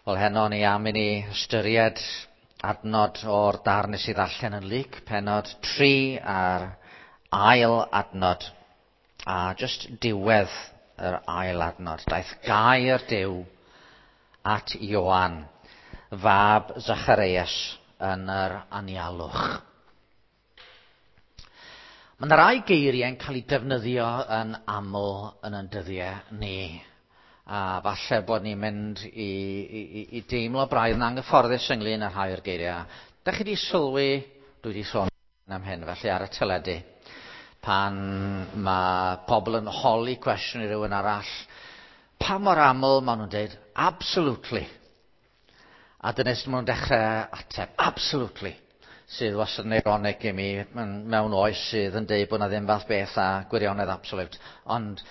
Wel, heno ni am i ni ystyried adnod o'r darn nes i ddarllen yn Luc, pennod 3 a'r ail adnod, a jyst diwedd yr ail adnod. Daeth gair Duw at Ioan, fab Zacharias, yn yr anialwch. Mae yna rai geiriau'n cael eu defnyddio yn aml yn ein dyddiau ni. A falle bod ni'n mynd i, i, i deimlo braidd yn anghyfforddus ynglyn â rhai o'r geiriau. Da chi wedi sylwi, dwi wedi sôn am hyn, felly ar y teledu, pan mae pobl yn holi cwestiwn i rywun arall, pa mor aml maen nhw'n dweud, absolutely. A dyna sut maen nhw'n dechrau ateb, absolutely. Sydd wastad yn ironic i mi mewn oes sydd yn deud bod 'na ddim fath beth â gwirionedd absolute. Ond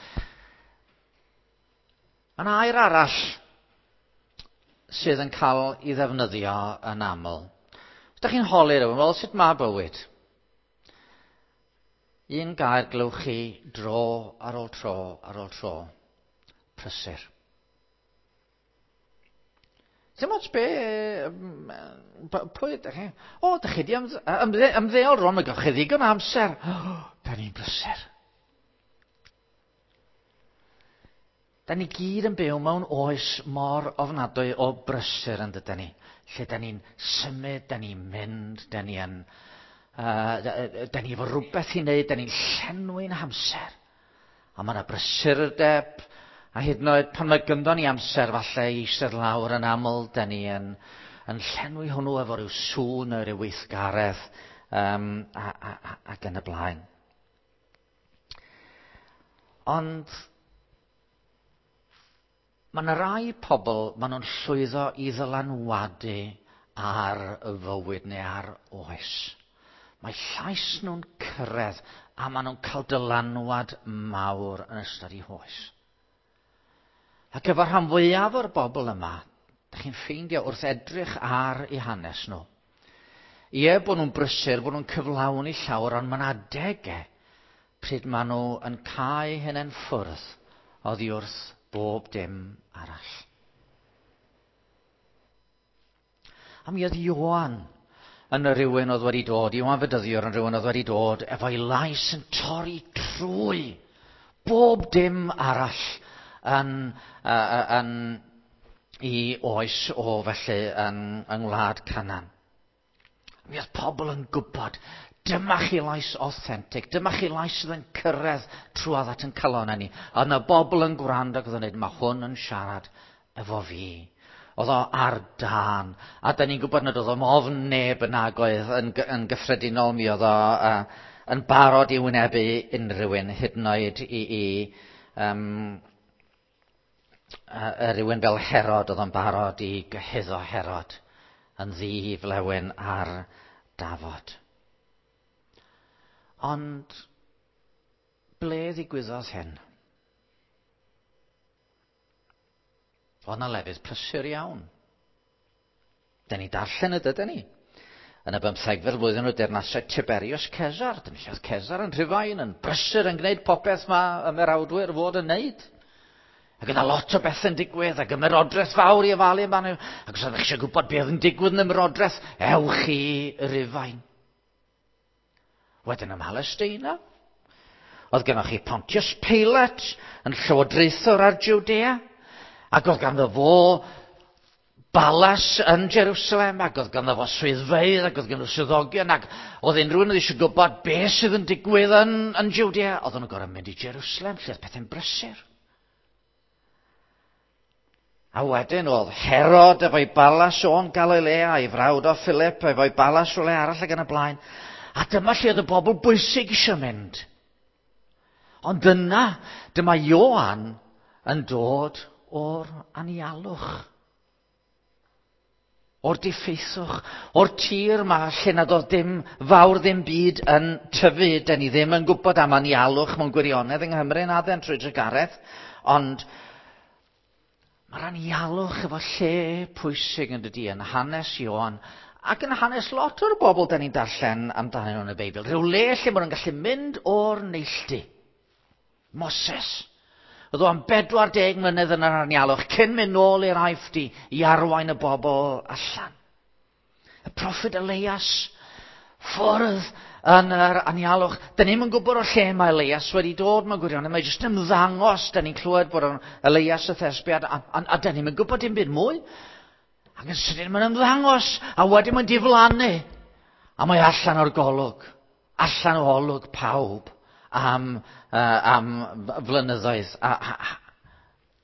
mae 'na air arall sydd yn cael ei ddefnyddio yn aml. Os ydych chi'n holi rhywun, wel, sut mae bywyd? Un gair glywch chi dro ar ôl tro ar ôl tro. Prysur. Dim ots be... Pwy ydych chi? O, ydych chi wedi ymdde, ymddeol rwan, mae gewch chi ddigon o amser. O, da ni'n brysur. Da ni gyd yn byw mewn oes mor ofnadwy o brysur yn dydyn ni. Lle da ni'n symud, da ni'n mynd, da ni yn... Uh, da ni efo rhywbeth i wneud, da ni'n llenwi'n hamser. A mae yna brysurdeb, a hyd yn oed pan mae gynddo ni amser falle i eistedd lawr yn aml, da ni yn, yn llenwi hwnnw efo rhyw sŵn neu rhyw weithgaredd um, a, a, a, ac yn y blaen. Ond mae yna rai pobl, maen nhw'n llwyddo i ddylanwadu ar y fywyd neu ar oes. Mae llais nhw'n cyrraedd a maen nhw'n cael dylanwad mawr yn ystod eu hoes. Ac efo rhan fwyaf o'r bobl yma, da chi'n ffeindio wrth edrych ar eu hanes nhw, ie, bod nhw'n brysur, bod nhw'n cyflawni llawer, ond mae'n adegau pryd maen nhw yn cau hynny'n ffwrdd oddi wrth bob dim arall. A mi oedd Ioan yn y rhywun oedd wedi dod, Ioan Fedyddiwr yn rhywun oedd wedi dod efo'i lais yn torri trwy bob dim arall yn, uh, yn i oes o felly yn, yng ngwlad Canan. Mi oedd pobl yn gwybod, dyma chi lais authentic, dyma chi lais sydd yn cyrraedd trwodd at yn calonnau ni. A yna bobl yn gwrando ac oedd yn dweud, mae hwn yn siarad efo fi. Oedd o ar dân. A da ni'n gwybod nad oedd o'n ofn neb yn nagoedd yn, yn gyffredinol, mi oedd o uh, yn barod i wynebu unrhyw un, hyd yn oed i, i um, uh, rhywun fel Herod, oedd o'n barod i gyhuddo Herod yn ddi flewyn ar dafod. Ond ble ddigwyddodd hyn? Oedd yna lefydd prysur iawn. Da ni darllen y dydyn ni. Yn y bymthegfed flwyddyn o deyrnasiad Tiberius Cesar, dyna lle oedd Cesar yn Rhufain, yn brysur yn gwneud popeth mae ymerawdwyr fod yn wneud. Ac yna lot o bethau'n digwydd, ac ymerodraeth fawr i ofalu amdano. Ac os ydych eisiau gwybod beth yn digwydd yn ymerodraeth, ewch i Rufain. Wedyn ym Mhalesteina, oedd gennych chi Pontius Pilate yn llywodraethwr ar Judea, ac oedd ganddo fo balas yn Jerusalem, ac oedd ganddo fo swyddfeydd, ac oedd ganddo swyddogion, ac oedd unrhyw un oedd eisiau gwybod beth sydd yn digwydd yn, yn Judea, oedd nhw'n gorfod mynd i Jerusalem, lle oedd pethau'n brysur. A wedyn oedd Herod efo'i balas o'n Galilea, ei frawd o Philip efo'i balas rhywle arall ac yn y blaen. A dyma lle oedd y bobl bwysig eisiau mynd. Ond yna, dyma Ioan yn dod o'r anialwch. O'r diffeithwch, o'r tir ma lle nad oedd dim fawr ddim byd yn tyfu. Da ni ddim yn gwybod am anialwch mewn gwirionedd yng Nghymru na dden trwy drugaredd, ond mae'r anialwch efo lle pwysig yn dydy yn hanes Ioan ac yn hanes lot o'r bobl da ni'n darllen amdanyn nhw yn y Beibl. Rhyw le lle maen nhw'n gallu mynd o'r neilltu. Moses. Oedd o am 40 mlynedd yn yr anialwch cyn mynd nôl i'r Aifft i arwain y bobl allan. Y proffwyd Elias, ffwrdd yn yr anialwch. Dyn ni'm yn gwybod o lle mae Elias wedi dod mewn gwirionedd. Mae jyst ymddangos, dyn ni'n clywed bod o'n Elias y Thesbiad, a dyn ni'm yn gwybod dim byd mwy. Ac yn sydyn mae'n ymddangos, a wedyn mae'n diflannu. A mae allan o'r golwg, allan o olwg pawb am flynyddoedd. A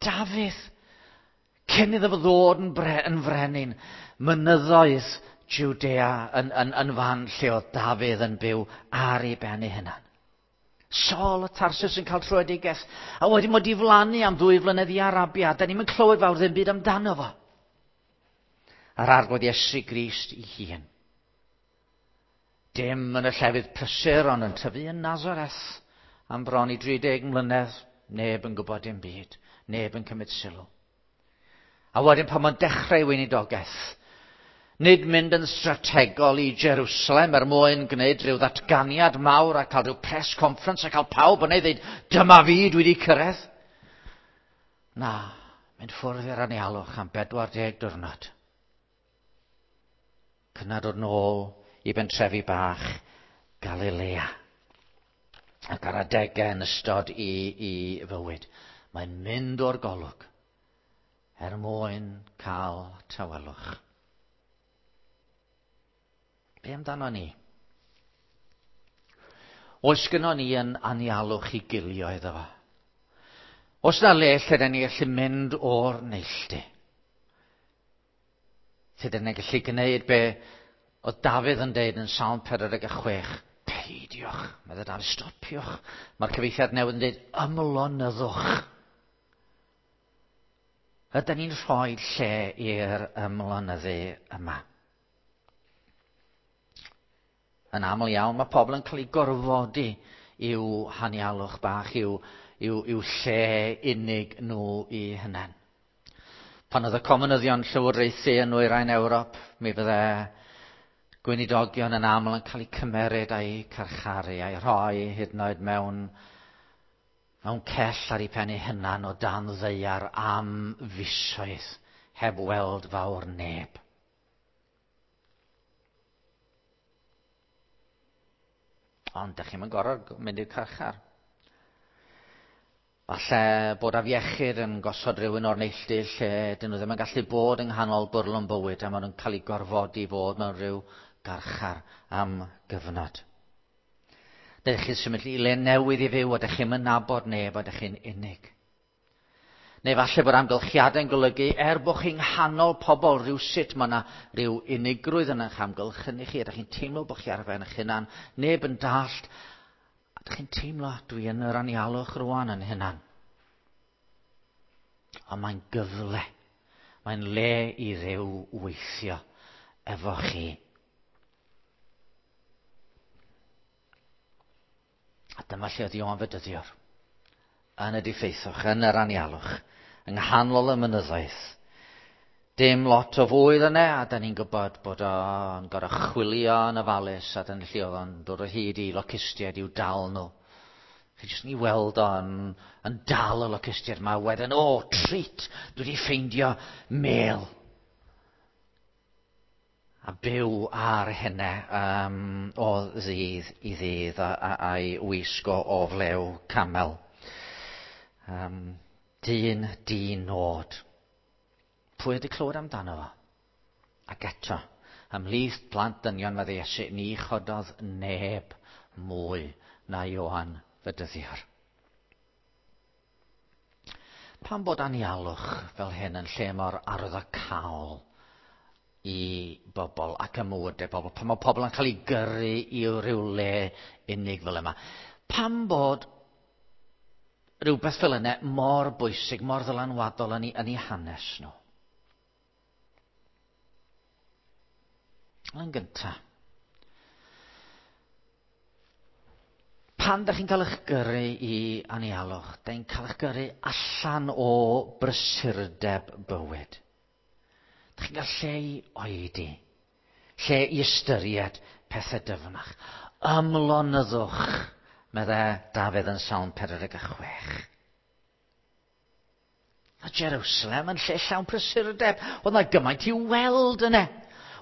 Dafydd, cyn iddo fo ddod yn frenin, mynyddoedd Judea yn fan lle oedd Dafydd yn byw ar ei ben ei hunan. Saul o Tarsus yn cael tröedigaeth, a wedyn mae diflannu am 2 flynedd i Arabia. Da ni'm yn clywed fawr ddim byd amdano fo. A'r Arglwydd Iesu Grist ei hun. Dim yn y llefydd prysur, ond yn tyfu yn Nazareth am bron i 30 mlynedd, neb yn gwybod dim byd, neb yn cymryd sylw. A wedyn pan mae'n dechrau weinidogaeth, nid mynd yn strategol i Jerusalem er mwyn gwneud rhyw ddatganiad mawr a cael rhyw press conference a cael pawb yn ei ddeud, dyma fi, dwi wedi cyrraedd. Na, mynd ffwrdd i'r anialwch am 40 diwrnod. Cynna dod nôl i bentrefi bach Galilea. Ac ar adegau yn ystod i fywyd, mae'n mynd o'r golwg er mwyn cael tawelwch. Be amdano ni? Oes gynnon ni yn anialwch i gilio iddo fo? Oes na le lle da ni gallu mynd o'r neilltu? Lle da ni'n gallu gwneud be oedd Dafydd yn deud yn Salm 46, peidiwch, meddai Dafydd, stopiwch. Mae'r cyfieithiad newydd yn deud, ymlonyddwch. Ydyn ni'n rhoi lle i'r ymlonyddu yma? Yn aml iawn, mae pobl yn cael eu gorfodi i'w hanialwch bach, i'w lle unig nhw i hunain. Pan oedd y comunyddion llywodraethu yn nwyrain Ewrop, mi fydde gweinidogion yn aml yn cael eu cymeryd a'u carcharu a'u rhoi hyd yn oed mewn cell ar eu pen eu hunan o dan ddaear am fisoedd heb weld fawr neb. Ond dych chi'm yn gorfod mynd i'r carchar. Falle bod afiechyd yn gosod rhywun o'r neilltu lle dyn nhw ddim yn gallu bod yng nghanol bwrlwm bywyd a maen nhw'n cael eu gorfodi i fod mewn rhyw garchar am gyfnod. Neu chi'n symud i le newydd i fyw a dych chi'm yn nabod neb a dych chi'n unig. Neu falle bod amgylchiadau'n golygu er bod chi'n nghanol pobl rhywsut mae yna rhyw unigrwydd yn eich amgylchynu chi a dych chi'n teimlo bod chi ar ben eich hunan, neb yn dallt. A dych chi'n teimlo, dwi yn yr anialwch rwan yn hunan. Ond mae'n gyfle. Mae'n le i Dduw weithio efo chi. A dyma lle oedd Ioan Fedyddiwr. Yn y diffeithwch, yn yr anialwch, yng nghanol y mynyddoedd. Dim lot o fwyd yna, a da ni'n gwybod bod o'n gorfod chwilio yn ofalus, a dyna lle oedd o'n dod o hyd i locustiaid i'w dal nhw. Chi jyst yn ei weld o'n yn dal y locustiaid yma, wedyn, o, treat, dwi wedi ffeindio mel. A byw ar hynna o ddydd i ddydd a'i wisgo o flew camel. Dyn di-nod. Pwy wedi clywed amdano fo? Ac eto, ymhlith plant dynion meddai Iesu, ni chododd neb mwy na Ioan Fedyddiwr. Pam bod anialwch fel hyn yn lle mor arwyddocaol i bobl ac ym mywydau pobl? Pam mae pobl yn cael eu gyrru i ryw le unig fel yma? Pam bod rhywbeth fel yna mor bwysig, mor ddylanwadol yn ei hanes nhw? Yn gyntaf, pan dach chi'n cael eich gyrru i anialwch, dach chi'n cael eich gyrru allan o brysurdeb bywyd. Dach chi'n cael lle i oedi, lle i ystyried pethau dyfnach. Ymlonyddwch, meddai Dafydd yn Salm 46. A Jerusalem yn lle llawn prysurdeb. Oedd 'na gymaint i'w weld yna.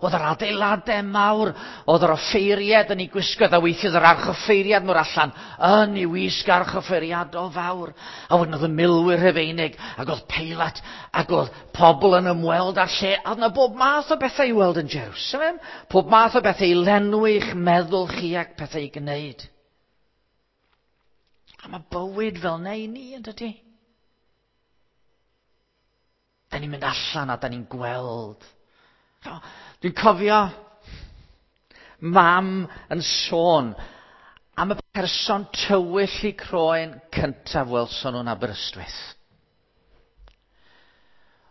Oedd yr adeiladau mawr, oedd yr offeiriad yn ei gwisgoedd, a weithiodd yr archoffeiriad mor allan yn ei wisg archoffeiriadol fawr. A wedyn oedd y milwyr Rhufeinig, ac oedd Peilat, ac oedd pobl yn ymweld â'r lle. A oedd yna bob math o bethau i weld yn Jerusalem, pob math o bethau i lenwi eich meddwl chi ac pethau i gwneud. A mae bywyd fel neu ni, yn dydy? Da ni'n mynd allan a da ni'n gweld. Dwi'n cofio mam yn sôn am y person tywyll i croen cyntaf welson nhw'n Aberystwyth.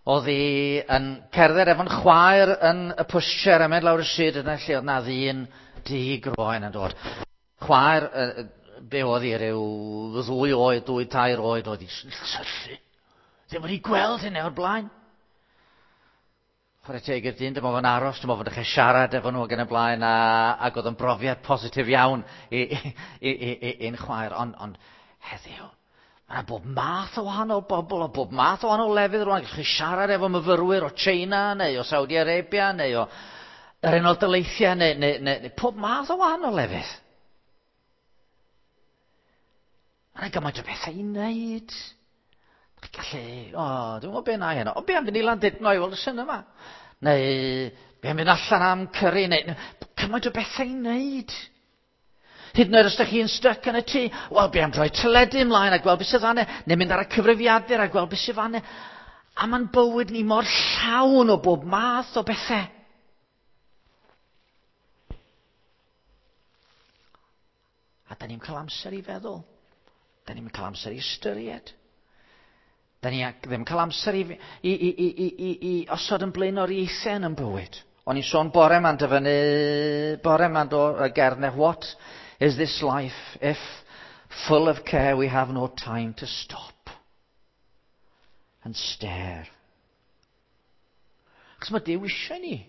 Oedd hi yn cerdded efo'n chwaer yn y pushchair a mynd lawr y stryd yna lle oedd na ddyn du groen yn dod. Chwaer, be oedd hi, rhyw ddwy oed, dwy, tair oed, oedd hi'n syllu. Ddim wedi gweld hynny o'r blaen. Chwarae teg i'r dyn, dyma fo'n aros, dyma fo'n dechrau siarad efo nhw ac yn y blaen, a, ac oedd yn brofiad positif iawn i, i, i, i, i'n chwaer. Ond, ond heddiw, mae yna bob math o wahanol bobl, o bob math o wahanol lefydd rwan. Gallwch chi siarad efo myfyrwyr o China, neu o Saudi Arabia, neu o yr Unol Daleithiau, neu, neu, neu, neu pob math o wahanol lefydd. Mae yna gymaint o bethau i wneud. Chi'n gallu, o, dwi'n gwybod be na i heno. O, be am fynd i Landudno i weld y cinema? Neu, be am fynd allan am curry? Neu, cymaint o bethau i wneud. Hyd yn oed os ydych chi'n styc yn y tŷ, wel, be am droi teledu ymlaen a gweld beth sydd fanne, neu mynd ar y cyfrifiadur a gweld beth sydd fanne. A mae'n bywyd ni mor llawn o bob math o bethau. A da ni'n cael amser i feddwl. Da ni'n cael amser i ystyried. Da ni ddim cael amser i, i, i, i, i, i, i osod yn blaenoriaethau yn yn bywyd. O'n i'n sôn bore ma'n dyfynnu, bore ma'n do, y gerdd neu what is this life if full of care we have no time to stop and stare. Achos mae Duw eisiau ni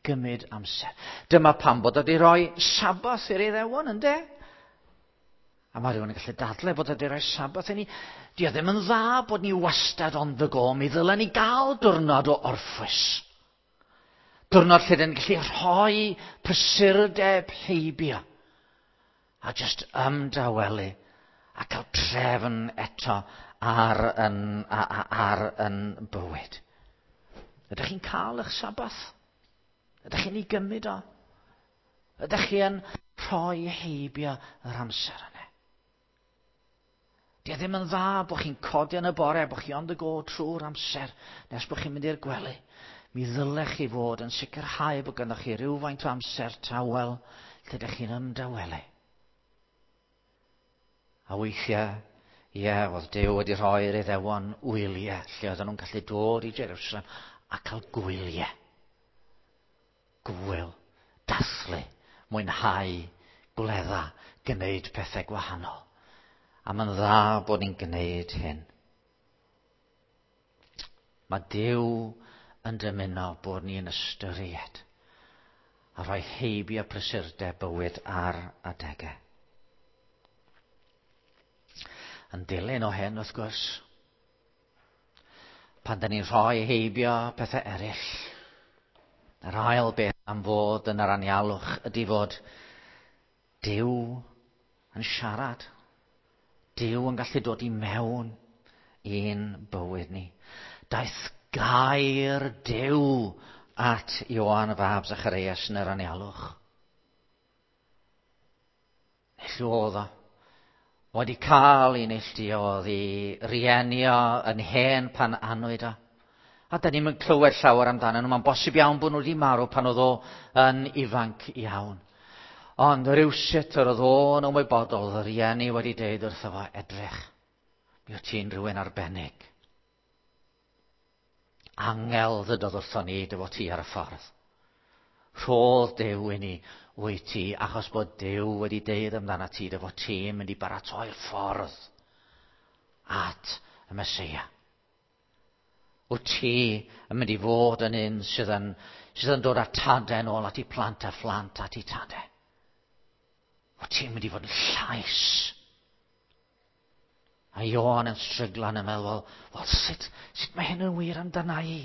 gymryd amser. Dyma pam bod wedi rhoi Sabath i'r Iddewon, ynde? A mae rhywun yn gallu dadle bod wedi rhoi Sabath i ni. Di o ddim yn dda bod ni wastad on the go. Mi ddylen ni gael diwrnod o orffwys. Diwrnod lle dyn ni'n gallu rhoi prysurdeb heibio. A just ymdawelu a cael trefn eto ar yn, ar yn bywyd. Ydych chi'n cael eich Sabath? Ydych chi'n ei gymryd o? Ydych chi yn rhoi heibio yr amser yna? Di e ddim yn dda bod chi'n codi yn y bore, bod chi on the go trwy'r amser, nes bod chi'n mynd i'r gwely. Mi ddylech chi fod yn sicrhau bod gynnoch chi rhywfaint o amser tawel lle ydych chi'n ymdawelu. A weithiau, ie, oedd Duw wedi rhoi'r Iddewon wyliau lle oedden nhw'n gallu dod i Jerusalem a cael gwyliau. Gwyl, dathlu, mwynhau, gwledda, gwneud pethau gwahanol. A mae'n dda bod ni'n gwneud hyn. Mae Duw yn dymuno bod ni'n ystyried a rhoi heibio prysurdeb bywyd ar adegau. Yn dilyn o hyn, wrth gwrs, pan da ni'n rhoi heibio pethau eraill, yr ail beth am fod yn yr anialwch ydy fod Duw yn siarad. Duw yn gallu dod i mewn i'n bywyd ni. Daeth gair Duw at Ioan fab Zacharias yn yr anialwch. Neilltu oedd o. Wedi cael ei neilltuo, oedd ei rieni o yn hen pan anwyd o. A da ni'n clywed llawer amdano nhw. Mae'n bosib iawn bod nhw wedi marw pan oedd o yn ifanc iawn. Ond rhywsut yr oedd o'n ymwybodol, oedd y rieni wedi deud wrtho fo, edrych, mi wyt ti'n rhywun arbennig. Angel ddydodd wrtho ni dy fod ti ar y ffordd. Rhodd Duw i ni wyt ti, achos bod Duw wedi deud amdana ti dy fod ti'n mynd i baratoi'r ffordd at y Meseia. Wyt ti yn mynd i fod yn un sydd yn, sydd yn dod â tadau yn ôl at ei plant a phlant at ei tadau. Wyt ti'n mynd i fod yn llais. A Ioan yn stryglan yn meddwl, wel, sut, sut mae hyn yn wir amdana i?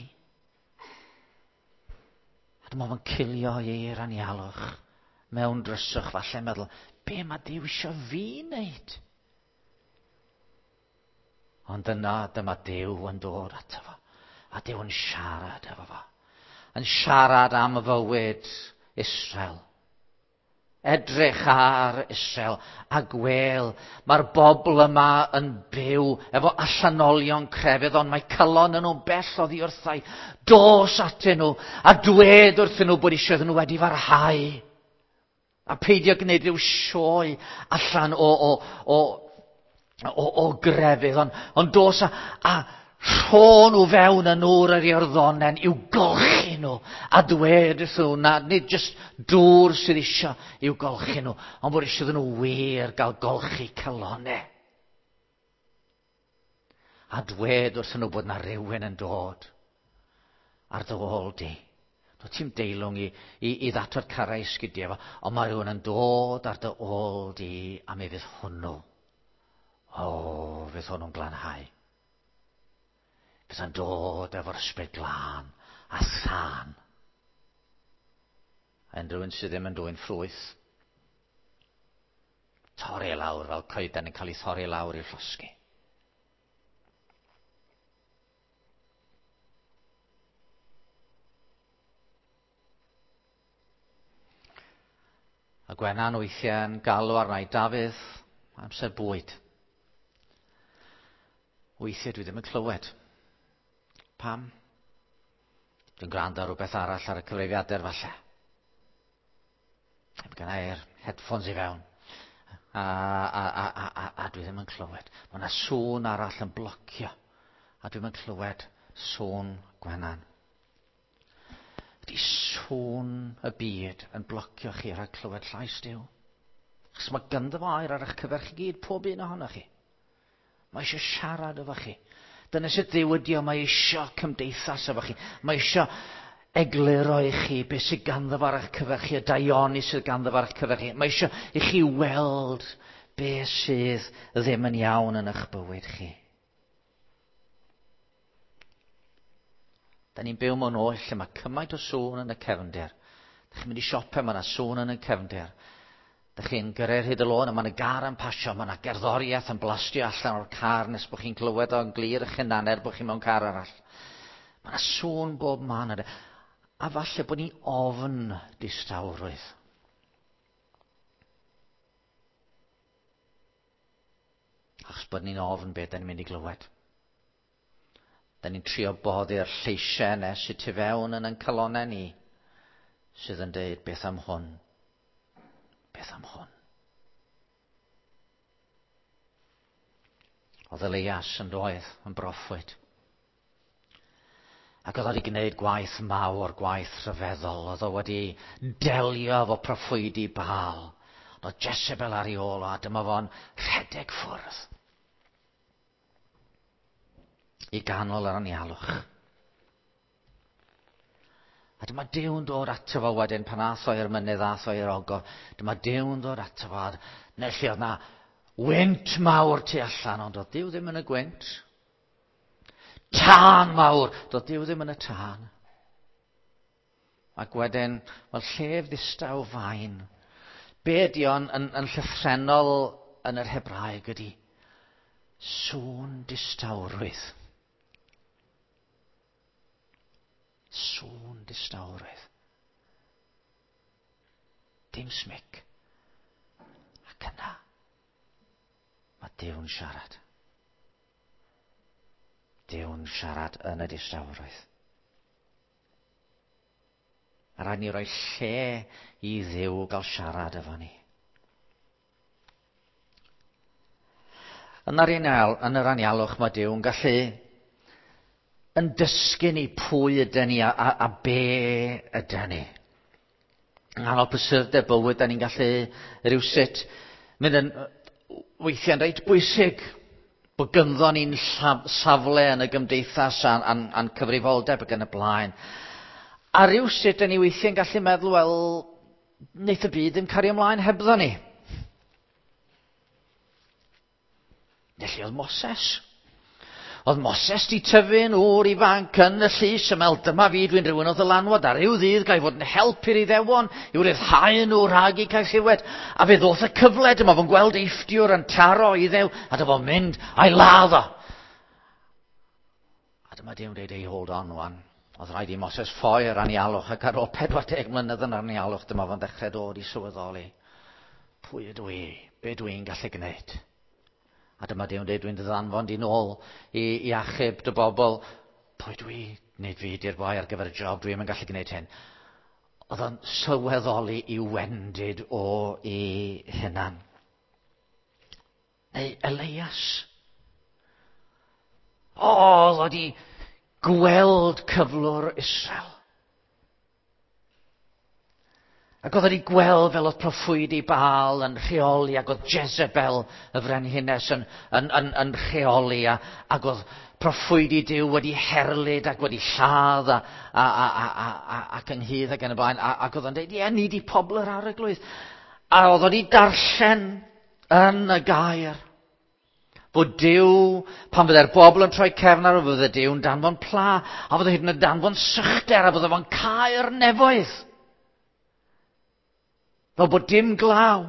A dyma fo'n cilio i'r anialwch mewn dryswch falle meddwl, be mae Duw eisiau fi wneud? Ond yna dyma Duw yn dod ato fo. A Duw yn siarad efo fo. Yn siarad am fywyd Israel. Edrych ar Israel a gwel, mae'r bobl yma yn byw efo allanolion crefydd, ond mae calon yn nhw'n bell oddi wrthau. Dos atyn nhw a dwed wrthyn nhw bod eisiau iddyn nhw wedi farhau. A peidio gwneud rhyw sioe allan o, o, o, o, o grefydd, ond, ond dos a, a rho nhw fewn yn nŵr yr Iorddonen i'w golchi nhw a dwed wrthyn nhw na nid jyst dŵr sydd eisiau i'w golchi nhw, ond bod eisiau iddyn nhw wir gael golchi calonau. A dwed wrthyn nhw bod na rhywun yn dod ar dy ôl di. Doedd ti'n deilwng i, i, i ddatod carau sgidiau fo, ond mae rhywun yn dod ar dy ôl di a mi fydd hwnnw. O, fydd hwnnw'n glanhau. Fydd yn dod efo'r ysbryd glân a thân. A unrhyw un sydd ddim yn dwyn ffrwyth, torri lawr fel coeden yn cael ei thorri lawr i'w llosgi. A Gwenan weithiau'n galw arna i Dafydd, amser bwyd. Weithiau dwi ddim yn clywed. Pam? Dwi'n gwrando ar rhywbeth arall ar y cyfrifiadur falle. Mae gen i'r headphones i fewn. A, a, a, a, a, a dwi ddim yn clywed. Mae yna sŵn arall yn blocio. A dwi'm yn clywed sŵn Gwenan. Ydy sŵn y byd yn blocio chi rhag clywed llais Duw? Achos mae ganddo fo air ar eich cyfer chi gyd, pob un ohonoch chi. Mae eisiau siarad efo chi. Dyna sut Dduw ydi o, mae eisiau cymdeithas efo chi. Mae eisiau egluro i chi beth sydd ganddo fo ar eich cyfer chi, y daioni sydd ganddo fo ar eich cyfer chi. Mae eisiau i chi weld beth sydd ddim yn iawn yn eich bywyd chi. Da ni'n byw mewn oes lle mae cymaint o sŵn yn y cefndir. Da chi'n mynd i siope, mae yna sŵn yn y cefndir. Da chi'n gyrru'r hyd y lôn a mae yna gar yn pasio, mae yna gerddoriaeth yn blastio allan o'r car nes bod chi'n clywed o'n glir eich hunan er bod chi mewn car arall. Mae yna sŵn bob man. A falle bod ni ofn distawrwydd. Achos bod ni'n ofn beth da ni'n mynd i glywed. Da ni'n trio boddi'r lleisiau yna sydd tu fewn yn ein calonau ni sydd yn deud beth am hwn? Beth am hwn? Oedd Elias yn doedd yn broffwyd. Ac oedd o wedi gwneud gwaith mawr, gwaith rhyfeddol. Oedd o wedi delio efo proffwydi Baal. Oedd Jezebel ar ei ôl o, a dyma fo'n rhedeg ffwrdd. I ganol yr anialwch. A dyma Duw'n dod ato fo wedyn pan ath o i'r mynydd, ath o i'r ogof. Dyma Duw'n dod ato fo. Neu lle oedd na wynt mawr tu allan, ond oedd Duw ddim yn y gwynt. Tân mawr! Doedd Duw ddim yn y tân. Ac wedyn, wel, llef ddistaw fain. Be ydi o'n yn, yn llythrennol yn yr Hebraeg ydi sŵn distawrwydd. Sŵn distawrwydd. Dim smic. Ac yna, mae Duw'n siarad. Duw'n siarad yn y distawrwydd. A rhaid ni roi lle i Dduw gael siarad efo ni. Yn yr, yn yr anialwch mae Duw'n gallu yn dysgu ni pwy ydyn ni a, a, a be ydyn ni. Yng nghanol prysurdeb bywyd, da ni'n gallu rhywsut mynd yn weithiau'n reit bwysig bod gynddo ni'n safle yn y gymdeithas a'n, a'n, a'n cyfrifoldeb ac yn y blaen. A rhywsut, da ni weithiau'n gallu meddwl, wel, wneith y byd ddim cario ymlaen hebddo ni. Felly oedd Moses. Oedd Moses di tyfu'n ŵr ifanc yn y llys yn meddwl, dyma fi, dwi'n rhywun o ddylanwad, ar ryw ddydd ga i fod yn help i'r Iddewon, i'w ryddhau nhw rhag eu caethiwed. A fe ddoth y cyfle, dyma fo'n gweld Eifftiwr yn taro Iddew, a dyma fo'n mynd a'i ladd o. A dyma Duw'n dweud, ei hold on wan. Oedd rhaid i Moses ffoi yr anialwch, ac ar ôl 40 mlynedd yn anialwch, dyma fo'n dechrau dod i sylweddoli. Pwy ydw i? Be dw i'n gallu gwneud? A dyma Duw'n dweud, dwi'n dy ddanfon di nôl i, i achub dy bobl. Pwy dwi? Nid fi di'r boi ar gyfer y job, dwi ddim yn gallu gwneud hyn. Oedd o'n sylweddoli i wendid o i hunan. Neu Elias. O, oedd wedi gweld cyflwr Israel. Ac oedd wedi gweld fel oedd proffwydi Baal yn rheoli, ac oedd Jezebel y frenhines yn, yn, yn, yn rheoli, a, ac oedd proffwydi Duw wedi herlid ac wedi lladd a, a, a, a, a, a, ac ynghyd ac yn y blaen. A, ac oedd o'n dweud, ie, ni di pobl yr arglwydd. A oedd wedi darllen yn y gair Fod Duw, pan fydde'r bobl yn troi cefn ar fydde Duw'n danfon pla, a fydde hyd yn oed danfon sychder, a fydde fo'n cau'r nefoedd. Fel bod dim glaw.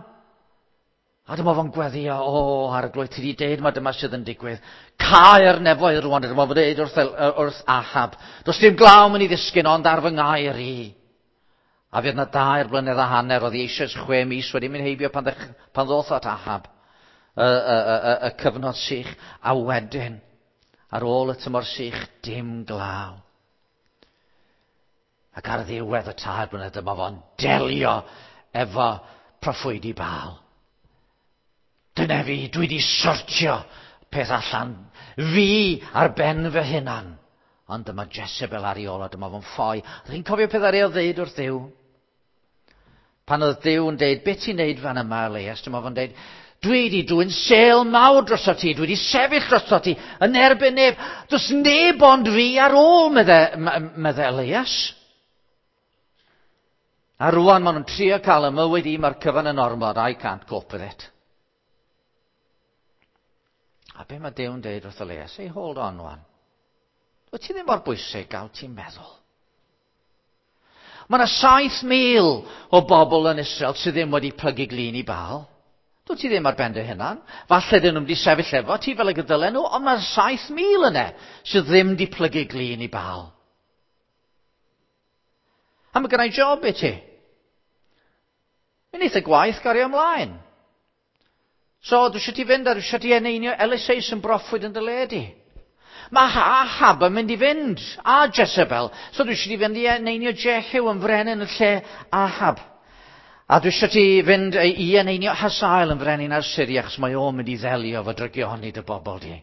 A dyma fo'n gweddio, o, arglwydd, ti wedi deud mae dyma sydd yn digwydd. Cau'r nefoedd rwan, dyma fo'n deud wrth, wrth Ahab. Does dim glaw mynd i ddisgyn ond ar fy ngair i. A fydd na dair blynedd a hanner, oedd hi eisoes chwe mis wedi mynd heibio pan, ddech, pan ddoth at Ahab y, y, y, y, y cyfnod sych, a wedyn, ar ôl y tymor sych, dim glaw. Ac ar ddiwedd y tair blynedd dyma fo'n delio efo proffwydi Baal. Dyna fi, dwi wedi sortio peth allan. Fi ar ben fy hunan. Ond dyma Jezebel ar ei ôl a dyma fo'n ffoi. Ydych chi'n cofio peth ar ei ddeud wrth Dduw? Pan oedd Duw yn deud, beth ti'n neud fan yma, Elias? Dyma fo'n deud, dwi wedi dwyn sêl mawr drosto ti, dwi wedi sefyll drosto ti, yn erbyn neb. Does neb ond fi ar ôl, medde, medde Elias. A rwan maen nhw'n trio cael y mywyd i, mae'r cyfan yn ormod, I can't cope with it. A be mae Duw'n deud wrth Elias? Hey, hold on wan. Wyt ti ddim mor bwysig gael ti'n meddwl. Mae yna 7,000 o bobl yn Israel sydd ddim wedi plygu glin i Baal. Dwyt ti ddim ar ben dy hunan. Falle dyn nhw'n wedi sefyll efo ti fel y gydylen nhw, ond mae 7,000 yna sydd ddim wedi plygu glin i Baal. A mae gennau job i ti. Mi wneith y gwaith gario ymlaen. So, dwi eisiau ti fynd a dwi eisiau ti eneinio Eliseus yn broffwyd yn dy le di. Mae Ahab yn mynd i fynd, a Jezebel. So dwi eisiau ti fynd i eneinio Jehu yn frenin yn lle Ahab. A dwi eisiau ti fynd i eneinio Hazael yn frenin ar Syria, achos mae o'n mynd i ddelio fo drygioni dy bobl di.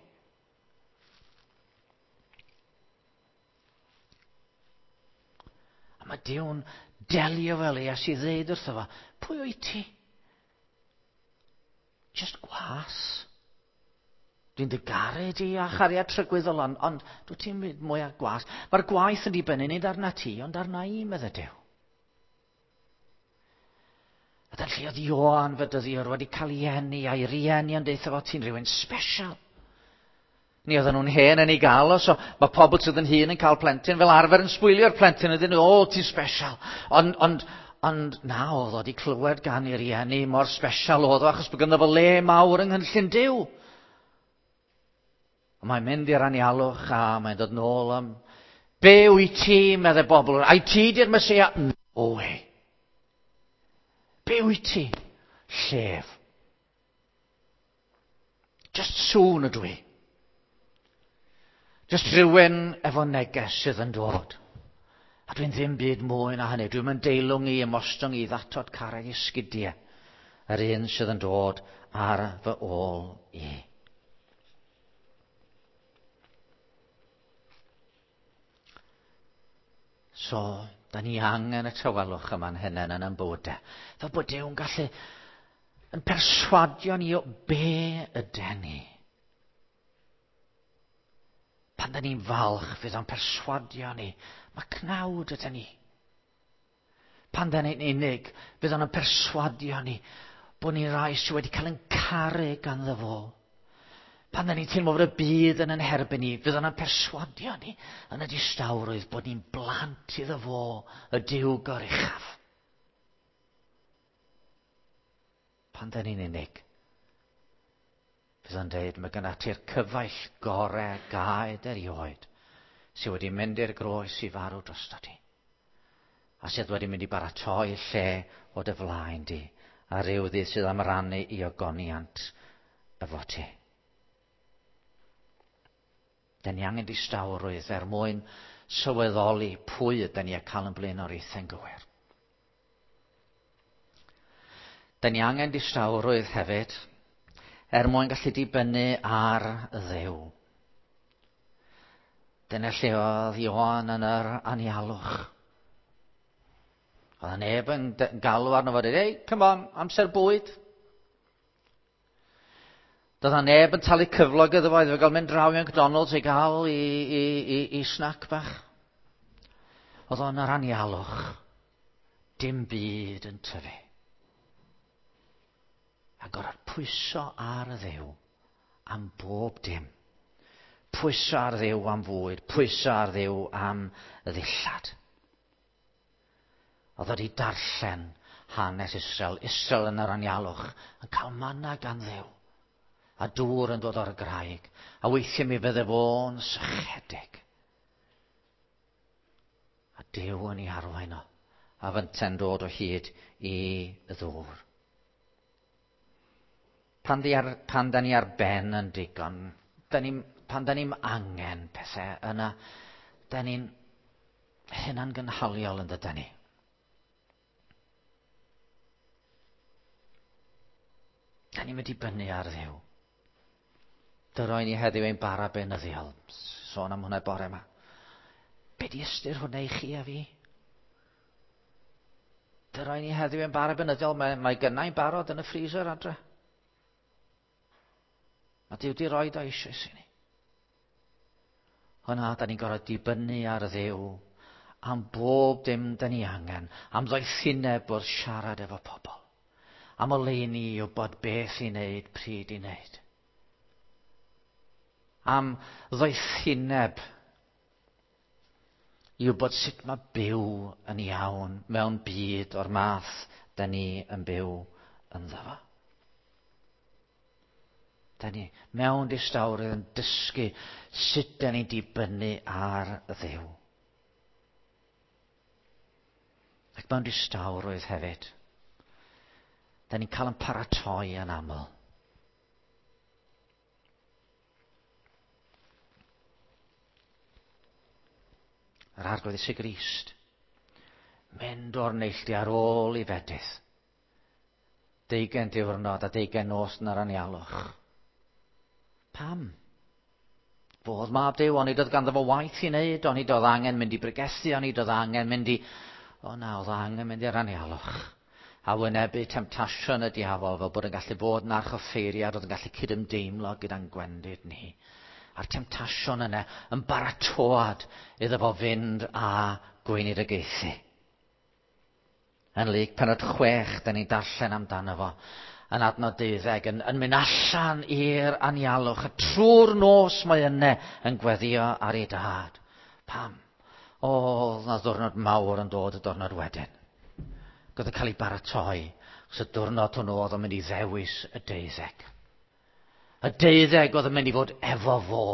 A mae Duw'n delio fel Elias i ddeud wrtho fo, pwy wyt ti? Just gwas. Dwi'n dy garu di a chariad trygwyddol, ond, ond dwi ti'n mynd mwy a gwas. Mae'r gwaith yn dibynnu nid arna ti, ond arna i, medde Duw. A dyna lle oedd Ioan Fedyddiwr wedi cael ei eni a'i rieni yn deutha fo ti'n rhywun special. Ni oedden nhw'n hen yn ei gael o, so mae pobl sydd yn hŷn yn cael plentyn fel arfer yn sbwylio'r plentyn ydyn nhw, o, ti'n special. Ond, ond, ond na, oedd o wedi clywed gan ei rieni mor special oedd o, achos bod ganddo fo le mawr yng nghynllun Duw. Ond mae'n mynd i'r anialwch a mae'n dod nôl am, be wyt ti, medde bobl, ai ti di'r Meseia? No way. Be wyt ti? Llef. Just sŵn ydw i. Just rhywun efo neges sydd yn dod. A dwi'n ddim byd mwy na hynny. Dwi'n mynd deilwng i ymostwng i ddatod carreg i sgidiau. Yr un sydd yn dod ar fy ôl i. So, da ni angen y tawelwch yma'n hunain yn ein bywydau. Fel bod Duw'n gallu yn perswadio ni o be yden ni. Pan da ni'n falch, fydd o'n perswadio ni. Mae cnawd yden ni. Pan da ni'n unig, fydd o'n perswadio ni bod ni'n rai sydd wedi cael yn caru ganddo fo. Pan da ni'n teimlo fod y byd yn yn herbyn ni, fydd o'n perswadio ni yn y distawrwydd bod ni'n blant iddo fo, y Duw goruchaf. Pan da ni'n unig, fydd o'n deud, mae gyda ti'r cyfaill gore gaed erioed sydd wedi mynd i'r groes i farw drosto ti. A sydd wedi mynd i baratoi lle o dy flaen di, a rhyw ddydd sydd am rannu i ogoniant efo ti. Da ni angen distawrwydd er mwyn sylweddoli pwy ydy ni a cael yn blaenoriaethau'n gywir. Da ni angen distawrwydd hefyd er mwyn gallu dibynnu ar Dduw. Dyna lle oedd Ioan yn yr anialwch. Oedd neb yn galw arno fo, dweud, ei, come on, amser bwyd. Doedd na neb yn talu cyflog iddo fo, iddo fo gael mynd draw i McDonald's i gael i, i, i, i snack bach. Oedd o'n yr anialwch. Dim byd yn tyfu. A gorfod pwyso ar y Dduw am bob dim. Pwyso ar Dduw am fwyd, pwyso ar Dduw am ddillad. Oedd wedi darllen hanes Israel, Israel yn yr anialwch, yn cael manna gan Dduw. A dŵr yn dod o'r graig. A weithiau mi fydde fo'n sychedig. A Duw yn ei arwain o. A fynte'n dod o hyd i ddŵr. Pan, di ar, pan da ni ar ben yn digon, da ni, pan da ni'n angen pethau yna, da ni'n hunan gynhaliol yn dyda ni. Da ni'n mynd i bynnu ar Dduw. Dyroi ni heddiw ein bara beunyddiol. Sôn am hwnna bore yma. Be di ystyr hwnna i chi a fi? Dyroi ni heddiw ein bara beunyddiol. Mae, mae gynnau'n barod yn y freezer adre. Mae Duw di roed o eisoes i ni. Hwna, da ni'n gorfod dibynnu ar Dduw am bob dim da ni angen, am ddoethineb wrth siarad efo pobl, am oleuni i wybod beth i wneud, pryd i wneud. Am ddoethineb i wybod sut mae byw yn iawn mewn byd o'r math da ni yn byw ynddo fo. Da ni mewn distawrwydd yn dysgu sut da ni'n dibynnu ar Dduw. Ac mewn distawrwydd hefyd, da ni'n cael yn paratoi yn aml. Yr Arglwydd Iesu Grist, mynd o'r neilltu ar ôl i fedydd. Deugain diwrnod a deugain nos yn yr anialwch. Pam? Fodd mab Duw, onid oedd ganddo fo waith i wneud, onid oedd angen mynd i bregethu, onid oedd angen mynd i... O na, oedd angen mynd i'r anialwch. A wynebu temtasiwn y diafol fel bod yn gallu bod yn archoffeiriad, oedd yn gallu cydymdeimlo gyda'n gwendid ni. A'r temtasiwn yna yn baratoad iddo fo fynd a gweinidogaethu. Yn Luc penod 6, da ni'n darllen amdano fo yn adnod 12, yn, yn mynd allan i'r anialwch, a trwy'r nos mae yna yn gweddio ar ei dad. Pam? O, oedd na ddwrnod mawr yn dod y diwrnod wedyn. Gwyd yn cael ei baratoi, achos y diwrnod hwnnw oedd yn mynd i ddewis y deuddeg. Y deuddeg oedd yn mynd i fod efo fo.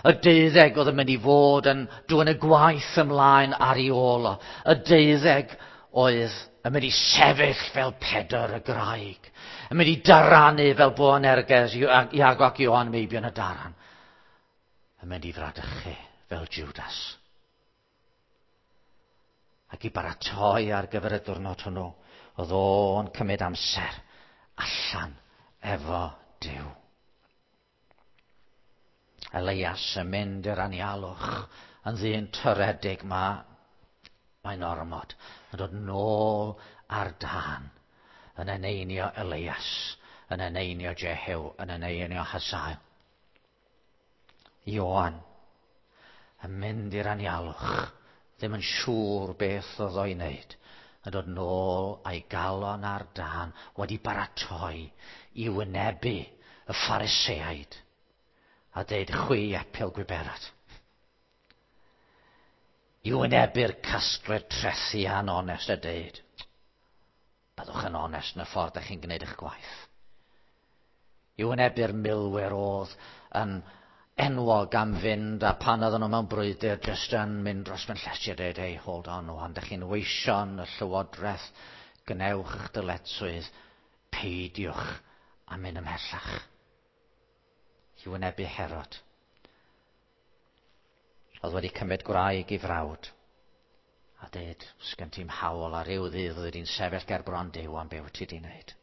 Y deuddeg oedd yn mynd i fod yn dwyn y gwaith ymlaen ar ei ôl o. Y deuddeg oedd yn mynd i sefyll fel Pedr y graig. Yn mynd i daranu fel Boanerges, Iago ac Ioan meibion y daran. Yn mynd i fradychu fel Judas. Ac i baratoi ar gyfer y diwrnod hwnnw, oedd o'n cymryd amser allan efo Duw. Elias yn mynd i'r anialwch yn ddyn toredig mae mae'n ormod yn dod nôl ar dân yn eneinio Elias, yn eneinio Jehew, yn eneinio Hazael. Ioan yn mynd i'r anialwch, ddim yn siŵr beth oedd o'i wneud, yn dod nôl a'i galon ar dân wedi baratoi i wynebu y Phariseaid. A deud chwi epil gwiberad. I wynebu'r casglwyr trethi anonest a deud, byddwch yn onest yn y ffordd ydych chi'n gwneud eich gwaith. I wynebu'r milwyr oedd yn enwog am fynd a pan oedden nhw mewn brwydr jyst yn mynd dros ben llestri a dweud, hey, hold on, wan, dych chi'n weision y llywodraeth, gwnewch eich dyletswydd, peidiwch a mynd ymhellach. I wynebu Herod. Oedd wedi cymryd gwraig i frawd. A dweud, sgen ti'm hawl ar ryw ddydd oedd wedi'n sefyll ger bron Duw am be wyt ti wedi wneud.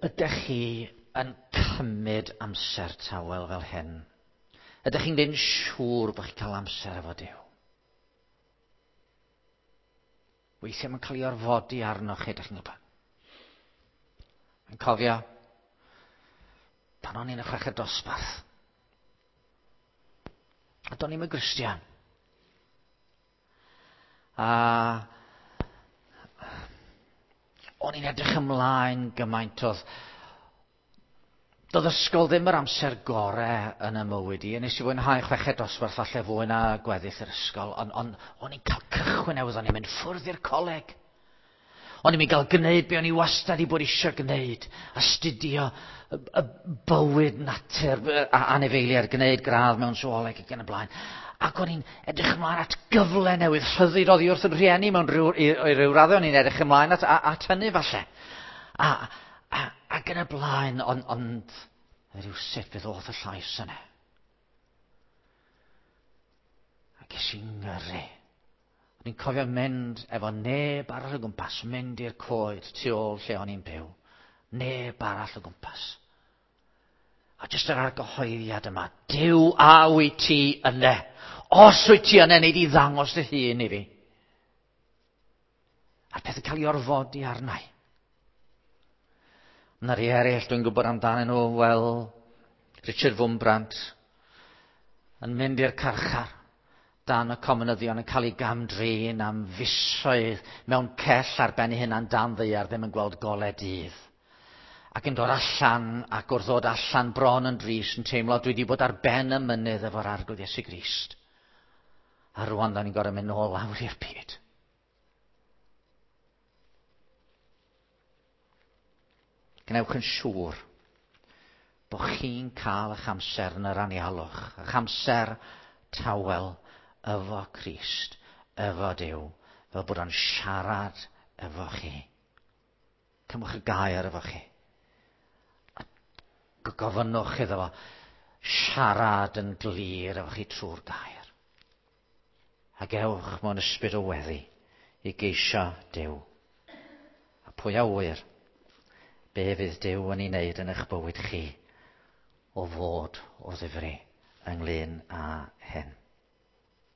Ydych chi yn cymryd amser tawel fel hyn? Ydych chi'n gwneud yn siŵr bod chi'n cael amser efo Duw? Weithiau mae'n cael ei orfodi arnoch chi, ydych chi'n gwybod. Yn cofio, pan o'n i'n y chweched dosbarth, a do'n i'm yn Gristion. A o'n i'n edrych ymlaen gymaint oedd Doedd ysgol ddim yr amser gore yn y mywyd i. Nes i fwynhau chweched dosbarth falle fwy na gweddill yr ysgol, ond on, o'n i'n cael cychwyn newydd, o'n i'n mynd ffwrdd i'r coleg. O'n i'n mynd gael gwneud be o'n i wastad i bod eisiau gwneud, astudio y, y bywyd natur a anifeiliaid, gwneud gradd mewn zooleg ac yn y blaen. Ac o'n i'n edrych ymlaen at gyfle newydd, rhyddid oddi wrth yn rhieni mewn rhyw, i, i ryw raddau, o'n i'n edrych ymlaen at, at hynny falle. A, a, ac yn y blaen, ond on, rhywsut fe ddoth y llais yna. A ges i'n ngyrru. O'n i'n cofio mynd efo neb arall o gwmpas, mynd i'r coed tu ôl lle o'n i'n byw. Neb arall o gwmpas. A jyst yr argyhoeddiad yma, Duw a wyt ti yna. Os wyt ti yna, nei di ddangos dy hun i fi. A'r peth yn cael ei orfodi arna i. Yna rhai eraill dwi'n gwybod amdanyn nhw, wel, Richard Wurmbrand, yn mynd i'r carchar dan y comunyddion yn cael ei gamdrin am fisoedd mewn cell ar ben ei hunan dan ddaear ddim yn gweld golau dydd. Ac yn dod allan, ac wrth ddod allan bron yn drist yn teimlo dwi wedi bod ar ben y mynydd efo'r Arglwydd Iesu Grist. A rwan da ni'n gorfod mynd nôl lawr i'r byd. Gwnewch yn siŵr bod chi'n cael eich amser yn yr anialwch, eich amser tawel efo Crist, efo Duw, fel bod o'n siarad efo chi. Cymwch y gair efo chi. A gofynnwch iddo fo siarad yn glir efo chi trwy'r gair. Ac ewch mewn ysbryd o weddi i geisio Duw. A pwy a ŵyr, be fydd Duw yn ei wneud yn eich bywyd chi o fod o ddifri ynglyn â hyn.